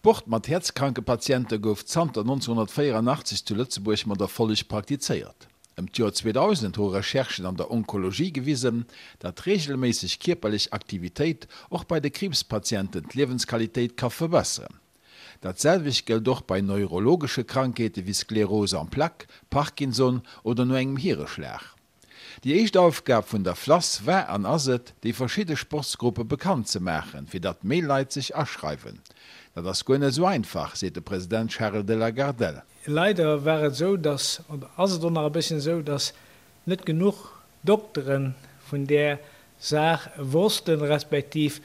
Sport mat häerzkranke Patiente gouf zanter 1984 zu Lëtzebuerg mat Erfolleg praktizéiert. Ëm d'Joer 2000 hu Recherchen an der Onkologie gewisen, datt reegelméisseg kierperlech Aktivitéit och bei de Kriibspatienten d'Liewensqualitéit ka verbesseren. Dat selwecht gëllt och bei neurologesche Krankheete wéi Sclérose en plaques, Parkinson oder no engem Hireschlag. Déi éischt Aufgab vun der FLASS war an ass et, déi verschidde Sportsgruppe bekannt ze maachen, fir datt méi Leit sech aschreiwen. Dat ass guer net esou einfach, seet de President Charel de la Gardelle. Leider war et esou, datt, oder ass et och nach e bësschen esou, datt net genuch Doktere vun där Saach wossten, respektiv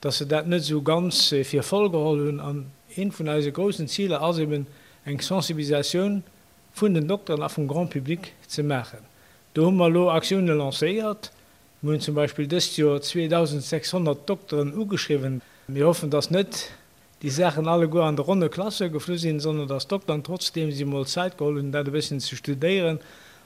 datt se dat net esou ganz fir voll geholl hunn. An eent vun eise groussen Ziler ass eben eng Sensibilisatioun vun den Dokteren a vum Grand public ze maachen. Do hu mer elo Aktioune lancéiert. Mir hunn zum Beispill dëst Joer 2.600 Dokteren ugeschriwwen. Mir hoffen, dass net déi Saachen alleguer an de ronne Klasse geflu sinn, sondern dass d'Dokteren trotzdeem sech emol Zäit geholl hunn, dat e bësschen ze studéieren,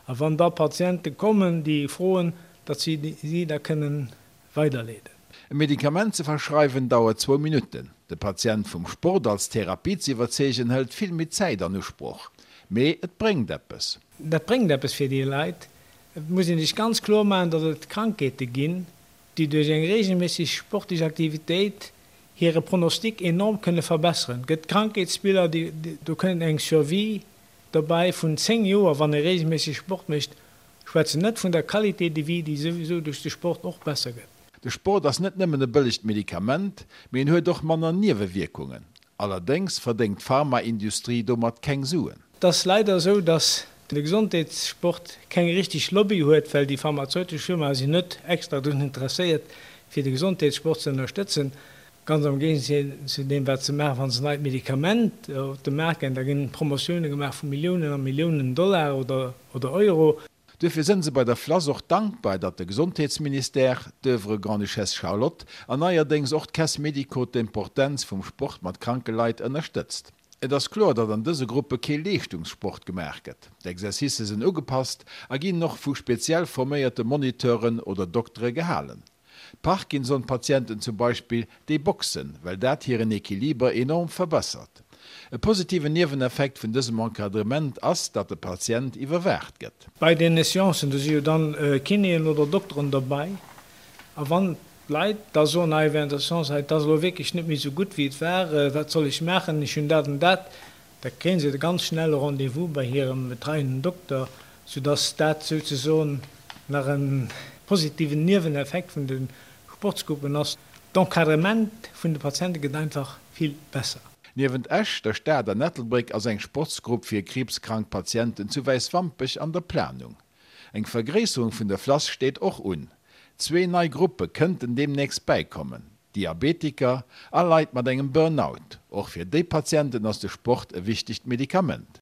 a wann da Patiente kommen, déi froen, datt si si da kënnen weiderleeden. E Medikament ze verschreiwen dauert zwou Minutten. De Patient vum Sport als Therapie ze iwwerzeegen hëlt vill méi Zäit an Usproch. Mee et bréngt eppes. Dat bréngt eppes fir déi Leit. Et muss ee sech ganz kloer maachen, datt et Krankheete ginn, déi duerch eng reegelméisseg sportlech Aktivitéit hire Pronostic enorm kënne verbesseren. Et gëtt Krankheetsbiller, déi, do kënnt eng Survie dobäi vun 10 Joer, wann ee reegelméisseg Sport mécht. Schwätzen net vun der Qualité de vie, déi souwisou duerch de Sport och besser gëtt. De Sport ass net nëmmen e bëllegt Medikament, mee en huet och manner Niewewierkungen. Allerdéngs verdéngt d'Pharmaindustrie domat keng Suen. Et ass leider esou, dass de Gesondheetssport keng richteg Lobby huet, well déi pharmazeutesch Firmae sinn net extra drun interesséiert, fir de Gesondheetssport ze ënnerstëtzen. Ganz am Géigesaz zu deem, wat se maachen, wa se neit Medikament op de Maart ginn, da ginn Promotioune gemaach vu Milliounen a Milliounen Dollar oder Euro. Duerfir sënn se bei der FLASS och dankbar, datt de Gesondheetsministère, d'Oeuvre Grande-Duchesse Charlotte an neierdéngs och d'Caisse Médico d'Importenz vum Sport mat kranke Leit ënnerstëtzt. Et ass kloer, datt an dëse Gruppe kee Leeschtungssport gemaach gëtt. D'Exercicë sinn ugepasst a ginn och vu speziell forméierte Moniteuren oder Doktere gehalen. D'Parkinson-Patienten zum Beispill, déi boxen, well dat hiren Equiliber enorm verbessert. E positiven Nieweneffekt vun dësem Encadrement ass, datt de Patient iwwerwaacht gëtt. Bei deene Seancen, do si jo dann Kinéen oder Dokteren derbei, a wann d'Leit da soen, hei während der Seance, hei et ass elo wierklech net méi esou gutt wéi et war, wat soll ech maachen, ech hunn dat an dat, da kréie se ganz schnell e Rendez-vous bei hirem betreienden Dokter, soudass dat souzesoen nach e positiven Nieweneffekt vun de Sportsgruppen ass. D'Encadrement vun de Patiente gëtt einfach vill besser. Niewent Esch, der Stad an Ettelbréck ass eng Sportsgrupp fir kriibskrank Patienten zu Wäiswampech an der Planung. Eng Vergréisserung vun der FLASS steet och un. Zwee nei Gruppe kënnten deemnächst bäikommen, Diabetiker a Leit mat engem Burnout. Och fir déi Patienten ass de Sport e wichtegt Medikament.